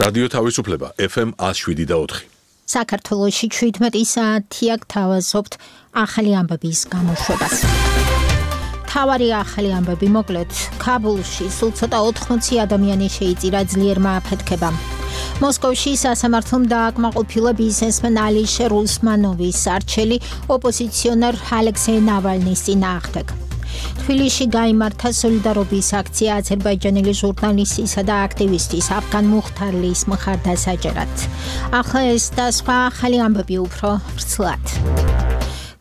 რადიო თავისუფლება FM 107.4. საქართველოში 17 საათია გთავაზობთ ახალი ამბების გამოშვებას. თავარი ახალი ამბები მოკლედ. ქაბულში სულ ცოტა 80 ადამიანი შეიწირა ძლიერმა აფეთქებამ. მოსკოვში სასამართლომ დააკმაყოფილა ბიზნესმენ ალიშერ უსმანოვის არჩელი ოპოზიციონერ ალექსეი ნავალნის წინააღმდეგ. თბილისში გაიმართა სოლიდარობის აქცია აზერბაიჯანელი ჟურნალისტისა და აქტივისტის აფგან მუხთარლის მხარდასაჭერად. ახლა ეს და სხვა ახალი ამბები უფრო ვრცლად.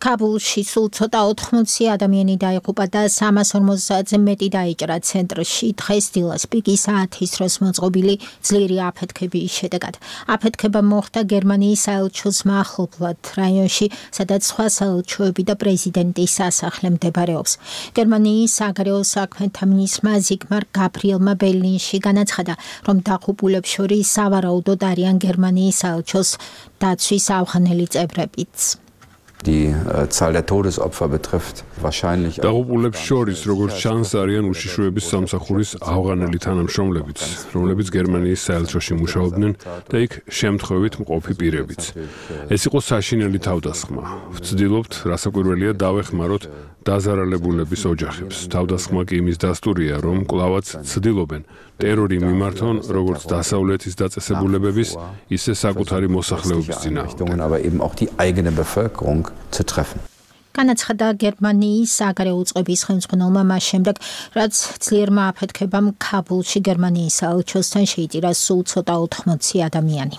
ქაბულში სულ ცოტა 80 ადამიანი დაიღუპა და 350-ზე მეტი დაიჭრა ცენტრში დღეს დილას პიკის საათის დროს მოწყობილი ძლიერი აფეთქების შედეგად. აფეთქება მოხდა გერმანიის საელჩოს მახლობლად რაიონში, სადაც სხვა საელჩოები და პრეზიდენტის სასახლე მდებარეობს. გერმანიის საგარეო საქმეთა მინისტრმა ზიგმარ გაბრიელმა ბერლინში განაცხადა, რომ დაღუპულებს შორის სავარაუდოდ არიან გერმანიის საელჩოს დაცვის ავღანელი წევრებიც. Die Zahl der Todesopfer betrifft wahrscheinlich დაღუპულებს შორის როგორც ჩანს არიან უშიშროების სამსახურის ავღანელი თანამშრომლებიც, რომლებიც გერმანიის საელჩოში მუშაობდნენ და იქ შემთხვევით მყოფი პირებიც. ეს იყო საშინელი თავდასხმა. ვცდილობთ, რასაკვირველია, დავეხმაროთ დაზარალებულების ოჯახებს. თავდასხმა კი იმის დასტურია, რომ კვლავაც ცდილობენ ტერორი მიმართონ როგორც დასავლეთის დაწესებულებების, ისე საკუთარი მოსახლეობის წინააღმდეგ. aber eben auch die eigene Bevölkerung zu treffen. განაცხადა გერმანიის საგარეო უწყების ხელმძღვანელმა მას შემდეგ, რაც ძლიერმა აფეთქებამ ქაბულში გერმანიის საელჩოსთან შეიწირა სულ ცოტა 80 ადამიანი.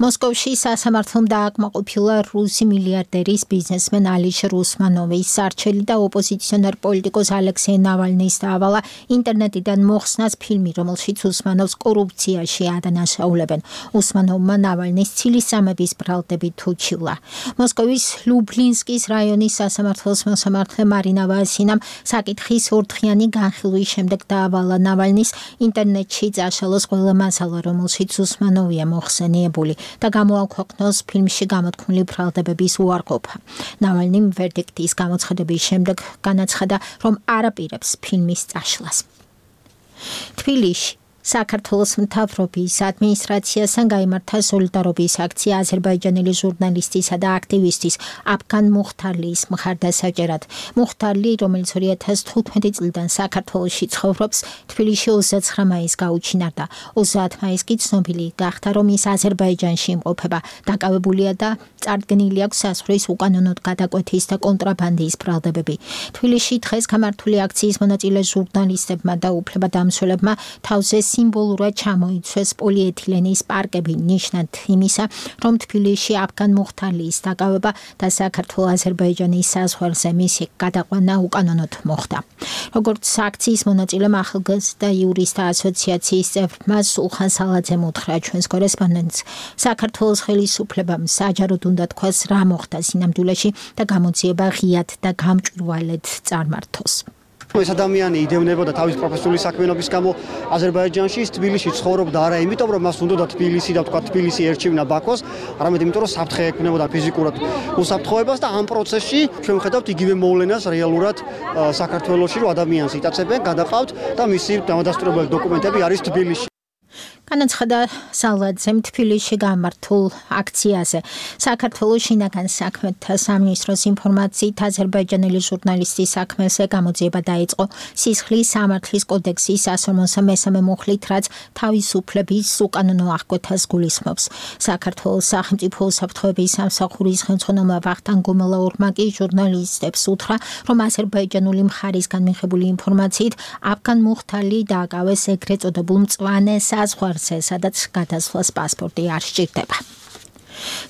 მოსკოვში სასამართლომ დააკმაყოფილა რუსი მილიარდერის ბიზნესმენ ალიშერ უსმანოვის არჩელი და ოპოზიციონერ პოლიტიკოს ალექსეი ნავალნის დაავალა ინტერნეტიდან მოხსნას ფილმი, რომელშიც უსმანოვს კორუფციაში ადანაშაულებენ. უსმანოვმა ნავალნის ცილისწამების ბრალდებით უჩივლა. მოსკოვის ლუბლინსკის რაიონის სასამართლოს მოსამართლე მარინა ვასინამ საკითხის ორდღიანი განხილვის შემდეგ დაავალა ნავალნის ინტერნეტში წაშალოს ყველა მასალა, რომელშიც უსმანოვია მოხსენიებული და გამოაქვეყნოს ფილმში გამოთქმული ბრალდებების უარყოფა. ნავალნიმ ვერდიქტის გამოცხადების შემდეგ განაცხადა, რომ არაპირებს ფილმის წაშლას. თბილისში საქართველოს მთავრობის ადმინისტრაციასთან გაიმართა სოლიდარობის აქცია აზერბაიჯანელი ჟურნალისტისა და აქტივისტის აფგან მუხთარლის მხარდასაჭერად. მუხთარლი, რომელიც 2015 წლიდან საქართველოში ცხოვრობს, თბილისში 29 მაისს გაუჩინარდა. 30 მაისს კი ცნობილი გახდა, რომ ის აზერბაიჯანში იმყოფება. დაკავებულია და წარდგენილი აქვს საზღვრის უკანონოდ გადაკვეთის და კონტრაბანდის ბრალდებები. თბილისში დღეს გამართული აქციის მონაწილე ჟურნალისტებმა და უფლებადამცველებმა თავზე სიმბოლურად ჩამოიცვეს პოლიეთილენის პარკები ნიშნად იმისა, რომ თბილისში აფგან მუხთარლის დაკავება და საქართველო-აზერბაიჯანის საზღვარზე მისი გადაყვანა უკანონოდ მოხდა. როგორც აქციის მონაწილემ ახალგაზრდა იურისტთა ასოციაციის წევრმა სულხან სალაძემ უთხრა ჩვენს კორესპონდენტს, საქართველოს ხელისუფლებამ საჯაროდ უნდა თქვას რა მოხდა სინამდვილეში და გამოძიება ღიად და გამჭვირვალედ წარმართოს. ეს ადამიანი იდევნებოდა თავის პროფესიული საქმიანობის გამო აზერბაიჯანში, თბილისში ცხოვრობდა არა იმიტომ, რომ მას უნდოდა თბილისი და თქვა თბილისი ერჩივნა ბაქოს, არამედ იმიტომ, რომ საფრთხე ექმნებოდა ფიზიკურად უსაფრთხოებას და ამ პროცესში ჩვენ ვხედავთ იგივე მოვლენას რეალურად საქართველოში, რომ ადამიანს იტაცებენ, გადაყავთ და მისი დამადასტურებელი დოკუმენტები არის თბილისში. განაცხადა სალაძემ თბილისში გამართულ აქციაზე. საქართველოს შინაგან საქმეთა სამინისტროს ინფორმაციით აზერბაიჯანელი ჟურნალისტის საქმეზე გამოძიება დაიწყო სისხლის სამართლის კოდექსის 153 მუხლით, რაც თავისუფლების უკანონო აღკვეთას გულისხმობს. საქართველოს სახელმწიფო უსაფრთხოების სამსახურის ხელმძღვანელმა ვახტანგ გომელაურმა კი ჟურნალისტებს უთხრა, რომ აზერბაიჯანული მხარისგან მიღებული ინფორმაციით აფგან მუხთარლი დააკავეს ეგრეთ წოდებულ მწვანე საზღვარზე, სადაც გადასვლას პასპორტი არ სჭირდება.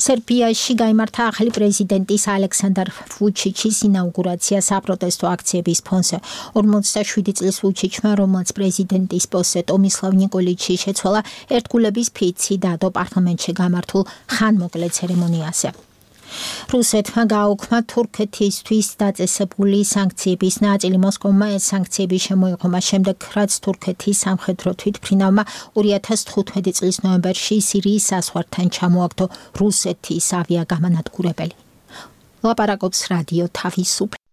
სერბიაში გაიმართა ახალი პრეზიდენტის ალექსანდრ ვუჩიჩის ინაუგურაცია საპროტესტო აქციების ფონზე. 47 წლის ვუჩიჩმა, რომელსაც პრეზიდენტის პოსტზე ტომისლავ ნიკოლიჩი შეცვალა, ერთგულების ფიცი დადო პარლამენტში გამართულ ხანმოკლე ცერემონიაზე. რუსეთმა გააუქმა თურქეთისთვის დაწესებული სანქციების ნაწილი. მოსკოვმა ეს სანქციები შემოიღო შემდეგ, რაც თურქეთის სამხედრო თვითმფრინავმა 2015 წლის ნოემბერში სირიის საზღვართან ჩამოაგდო რუსეთის ავიაგამანადგურებელი. ლაპარაკობს რადიო თავისუფლება.